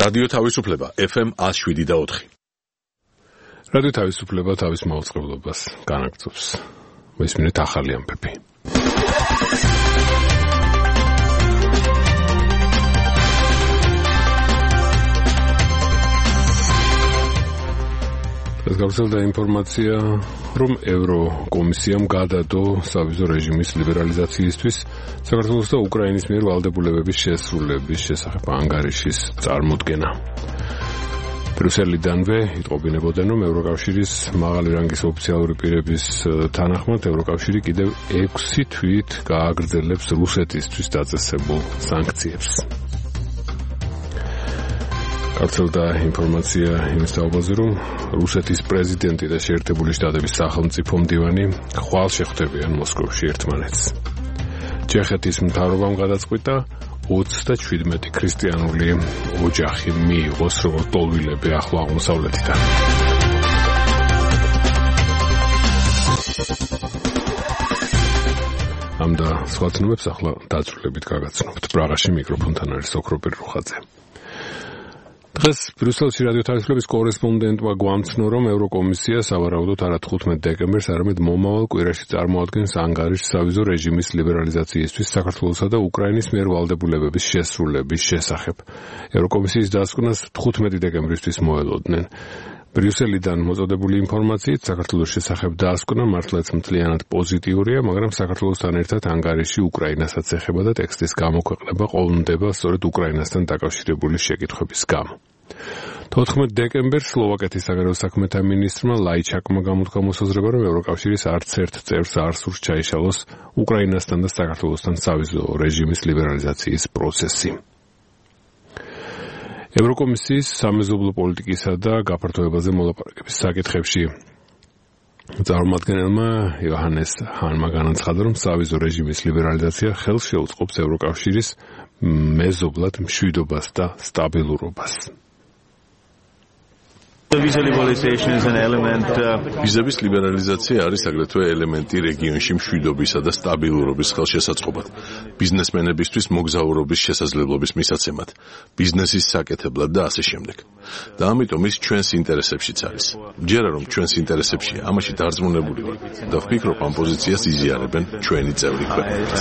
რადიო თავისუფლება FM 107.4. რადიო თავისუფლება თავის მაუწყებლობას განაგრძობს. მისმინეთ ახალი ამბები. ეს გავრცელდა ინფორმაცია, რომ ევროკომისიამ გადადო სავიზო რეჟიმის ლიბერალიზაციისთვის საქართველოს და უკრაინის მიერ ვალდებულებების შესრულების შესახებ ანგარიშის წარმოდგენა. ბრიუსელიდანვე იტყობინებოდნენ, რომ ევროკავშირის მაღალი რანგის ოფიციალური პირების თანახმად ევროკავშირი კიდევ 6 თვით გააგრძელებს რუსეთისთვის დაწესებულ სანქციებს. გავრცელდა ინფორმაცია იმის თაობაზე, რომ რუსეთის პრეზიდენტი და შეერთებული შტატების სახელმწიფო მდივანი ხვალ შეხვდებიან მოსკოვში ერთმანეთს. ჩეხეთის მთავრობამ გადაწყვიტა 37 ქრისტიანული ოჯახი მიიღოს როგორც ტოლვილები ახლო აღმოსავლეთიდან. ამ და სხვა ცნობებს ახლა დაწვრილებით გაგაცნობთ. პრაღაში მიკროფონთან არის ოქროპირ რუხაძე. დღეს ბრიუსელში რადიო თავისუფლების კორესპონდენტმა გვამცნო, რომ ევროკომისია სავარაუდოდ არა 15 დეკემბერს, არამედ მომავალ კვირაში წარმოადგენს ანგარიშს სავიზო რეჟიმის ლიბერალიზაციისთვის საქართველოსა და უკრაინის მიერ ვალდებულებების შესრულების შესახებ. ევროკომისიის დასკვნას 15 დეკემბრისთვის მოელოდნენ. ბრიუსელიდან მოწოდებული ინფორმაციით საქართველოს შესახებ დასკვნა მართლაც მთლიანად პოზიტიურია, მაგრამ საქართველოსთან ერთად ანგარიში უკრაინასაც ეხება და ტექსტის გამოქვეყნება ყოლმდება სწორედ უკრაინასთან დაკავშირებული შეკითხვების გამო. 14 დეკემბერს სლოვაკეთის საგარეო საქმეთა მინისტრმა ლაიჩაკმა გამოთქვა მოსაზრება, რომ ევროკავშირის არც ერთ წევრს არ სურს ჩაიშალოს უკრაინასთან და საქართველოსთან სავიზო რეჟიმის ლიბერალიზაციის პროცესი. ევროკომისიის სამეზობლო პოლიტიკისა და გაფართოებაზე მოლაპარაკების საკითხებში წარმომადგენელმა იოჰანეს ჰანმა განაცხადა, რომ სავიზო რეჟიმის ლიბერალიზაცია ხელს შეუწყობს ევროკავშირის მეზობლად მშვიდობას და სტაბილურობას. ვიზების ლიბერალიზაცია არის აგრეთვე ელემენტი რეგიონში მშვიდობისა და სტაბილურობის ხელშესაწყობად, ბიზნესმენებისთვის მოგზაურობის შესაძლებლობის მისაცემად, ბიზნესის საკეთებლად და ასე შემდეგ. და ამიტომ ის ჩვენს ინტერესებშიც არის. მჯერა რომ ჩვენს ინტერესებშია, ამაში დარწმუნებული ვარ და ვფიქრობ, ამ პოზიციას იზიარებენ ჩვენი წევრი ქვეყნებიც.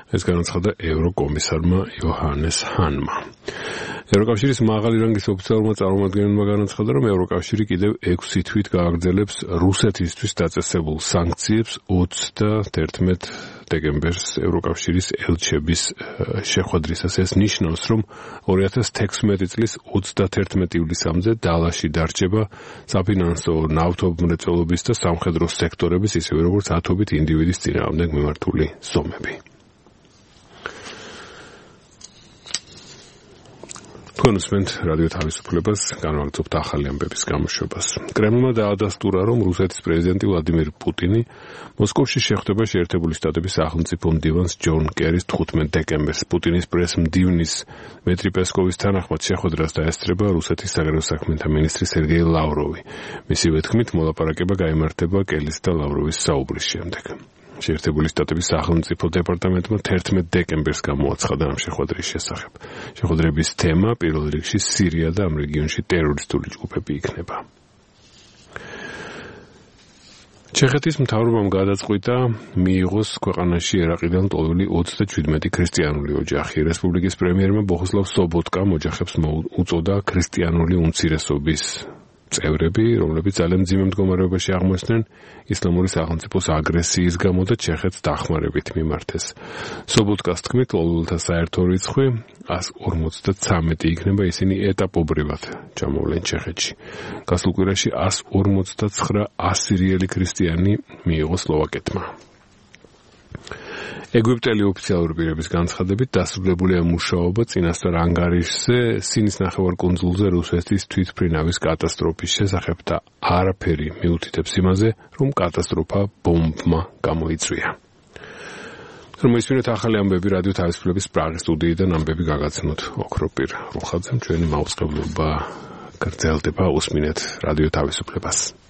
ეს განაცხადა ევროკომისარმა იოჰანეს ჰანმა. ევროკავშირის მაღალი რანგის ოფიციალურმა წარმომადგენელმა განაცხადა, რომ ევროკავშირი კიდევ 6 თვით გააგრძელებს რუსეთისთვის დაწესებულ სანქციებს 31 დეკემბერს ევროკავშირის ელჩების შეხვედრისას. ეს ნიშნავს, რომ 2016 წლის 31 ივლისამდე დალაში დარჩება საფინანსო, ნავთობმრეწველობის და სამხედრო სექტორების, ისევე როგორც ათობით ინდივიდის წინააღმდეგ მიმართული ზომები. თქვენ უსმენთ რადიო თავისუფლებას, განვაგრძობთ ახალი ამბების გამოშვებას. კრემლმა დაადასტურა, რომ რუსეთის პრეზიდენტი ვლადიმիր პუტინი მოსკოვში შეხვდება შეერთებული შტატების სახელმწიფო მდივანს ჯონ კერის 15 დეკემბერს. პუტინის პრესმდივნის დმიტრი პესკოვის თანახმად შეხვედრას დაესწრება რუსეთის საგარეო საქმეთა მინისტრი სერგეი ლავროვი. მისივე თქმით, მოლაპარაკება გაიმართება კელის და ლავროვის საუბრის შემდეგ. შეერთებული შტატების სახელმწიფო დეპარტამენტმა 11 დეკემბერს გამოაცხადა ამ შეხვედრის შესახებ. შეხვედრების თემა პირველ რიგში სირია და ამ რეგიონში ტერორისტული ჯგუფები იქნება. ჩეხეთის მთავრობამ გადაწყვიტა მიიღოს ქვეყანაში ერაყიდან ტოლვილი 37 ქრისტიანული ოჯახი. რესპუბლიკის პრემიერმა ბოხუსლავ სობოტკამ ოჯახებს უწოდა ქრისტიანული უმცირესობის წევრები, რომლებიც ძალიან მძიმე მდგომარეობაში აღმოჩნდნენ ისლამური სახელმწიფოს აგრესიის გამო და ჩეხეთს დახმარებით მიმართეს. სობოტკას თქმით, ლოლულთა საერთო რიცხვი 153 იქნება, ისინი ეტაპობრივად ჩამოვლენ ჩეხეთში. გასულ კვირაში 159 ასირიელი ქრისტიანი მიიღო სლოვაკეთმა. ეგვიპტელი ოფიციალური პირების განცხადებით დასრულებულია მუშაობა წინასწარ ანგარიშზე სინის ნახევარკუნძულზე რუსეთის თვითმფრინავის კატასტროფის შესახებ და არაფერი მიუთითებს იმაზე, რომ კატასტროფა ბომბმა გამოიწვია. Მოისმინეთ ახალი ამბები რადიო თავისუფლების პრაღის სტუდიიდან ამბები გაგაცნოთ ოქროპირ რუხაძემ ჩვენი მაუწყებლობა გრძელდება უსმინეთ რადიო თავისუფლებას.